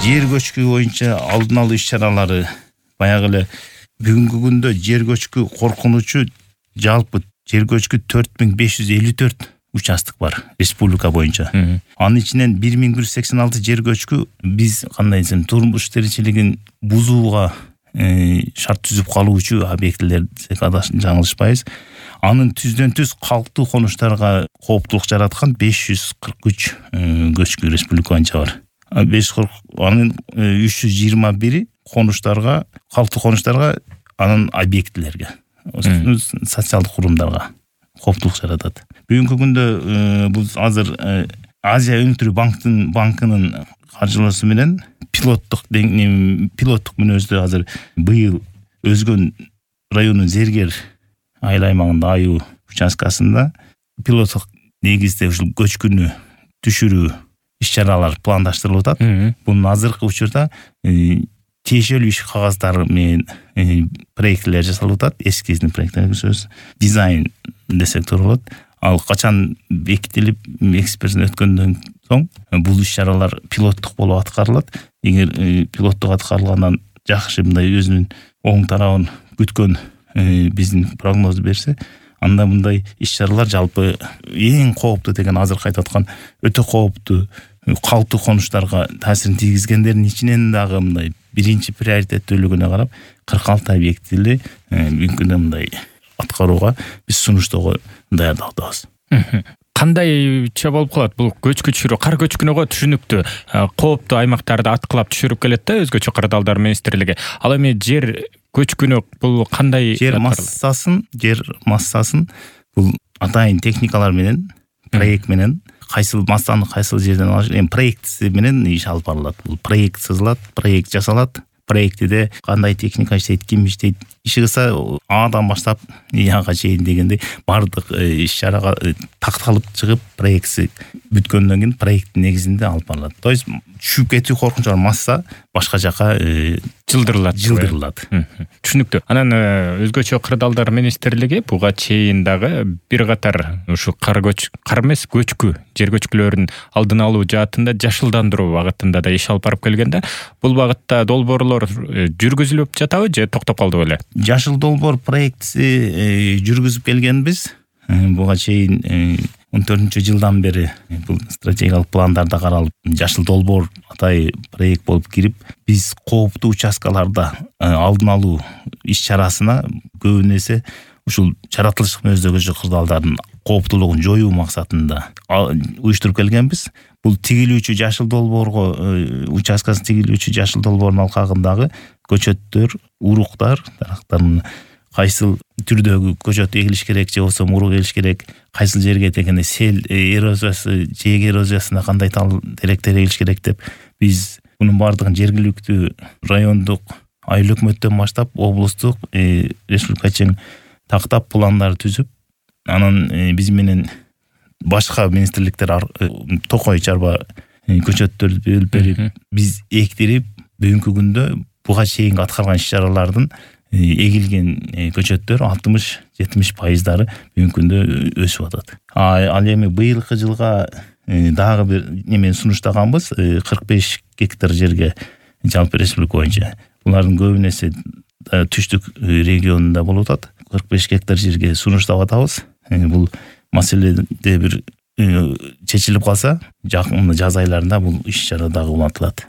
жер көчкү боюнча алдын алуу иш-чаралары баягы эле бүгүнкү күндө жер көчкү коркунучу жалпы жер көчкү 4554 участок бар республика боюнча. Анын ичинен 1186 жер көчкү биз кандай десем турмуш тиричилигин бузууга шарт түзүп калуучу объектилер десек жаңылышпайбыз. Анын түздөн-түз калктуу конуштарга кооптулук жараткан 543 көчкү республика боюнча бар. 540 анын 321 конуштарга, калктуу конуштарга, анын объектилерге, социалдык курумдарга кооптулук жаратат. Бүгүнкү күндө бул азыр Азия өнүктүрүү банкынын каржылоосу менен пилоттук мүнөздө азыр быйыл Өзгөн районунун Зергер айыл аймагында Аюу участкасында пилоттук негизде ушул көчкүнү түшүрүү иш-чаралар пландаштырылып атат. Бунун азыркы учурда тиешелүү иш кагаздары менен проекттер жасалып атат. Эскизный проекттер сөз дизайн десек туура болот. Ал качан бекитилип эксперттен өткөндөн соң бул иш-чаралар пилоттук болуп аткарылат. Эгер пилоттук аткарылгандан жакшы мындай өзүнүн оң тарабын күткөн биздин прогноз берсе, анда мындай иш-чаралар жалпы эң кооптуу деген азыр айтып аткан өтө кооптуу калктуу конуштарга таасирин тийгизгендердин ичинен дагы мындай биринчи приоритеттүүлүгүнө карап 46 объектили бүгүнкү күндө мындай аткарууга биз сунуштоого даярдалабыз. Кандайча болуп калат бул көчкү түшүрүү? Кар көчкүнү түшүнүктүү. Кооптуу аймактарды аткылап түшүрүп келет да өзгөчө кырдаалдар министрлиги. Ал эми жер көчкүнү бул кандай? Жер массасын бул атайын техникалар менен, проект менен кайсыл массаны кайсыл жерден алыш, проектиси менен иш алып барылат. Бул проект сызылат, проект жасалат. Проектиде кандай техника иштейт, ким иштейт, иши кылса Адан баштап Яга чейин дегенде бардык иш-чарага такталып чыгып, проектси бүткөндөн кийин проекттин негизинде алып барылат. То есть түшүп кетүү коркунучу бар, масса башка жака жылдырылат. Түшүнүктүү. Анан өзгөчө кырдаалдар министрлиги буга чейин дагы бир катар ушу кар эмес көчкү, жер көчкүлөрүнүн алдын алуу жаатында жашылдандыруу багытында да иш алып барып келген да. Бул багытта долбоорлор жүргүзүлүп жатабы же токтоп калды беле? Жашыл долбоор проектси жүргүзүп келгенбиз. Буга чейин 14-жылдан бери бул стратегиялык пландарда каралып, жашыл долбоор атай проект болуп кирип, биз кооптуу участкаларда алдын алуу иш-чарасына көбүн эсе ушул жаратылыштык мүнөздөгү кырдаалдардын кооптуулугун жоюу максатында уюштуруп келгенбиз. Бул тигилүүчү жашыл долбоорго участкасын тигилүүчү жашыл долбоордун алкагындагы көчөттөр, уруктар, дарактардын кайсыл түрдөгү көчөт эгилиш керек же болбосо урук эгилиш керек, кайсыл жерге дегенде сел эрозиясы, жээк эрозиясына кандай тал теректер эгилиш керек деп биз мунун бардыгын жергиликтүү райондук айыл өкмөттөн баштап облустук, республика чейин тактап пландар түзүп, анан биз менен башка министрликтер токой чарба көчөттөрдү бөлүп берип, биз эктирип, бүгүнкү күндө буга чейинки аткарган иш-чаралардын эгилген көчөттөр 60-70% бүгүнкү күндө өсүп атат. Ал эми быйылкы жылга дагы бир немени сунуштаганбыз, 45 гектар жерге жалпы республика боюнча. Булардын көбүн эсе түштүк регионунда болуп атат. 45 гектар жерге сунуштап атабыз. Бул маселеде бир чечилип калса, жакын жаз айларында бул иш-чара дагы улантылат.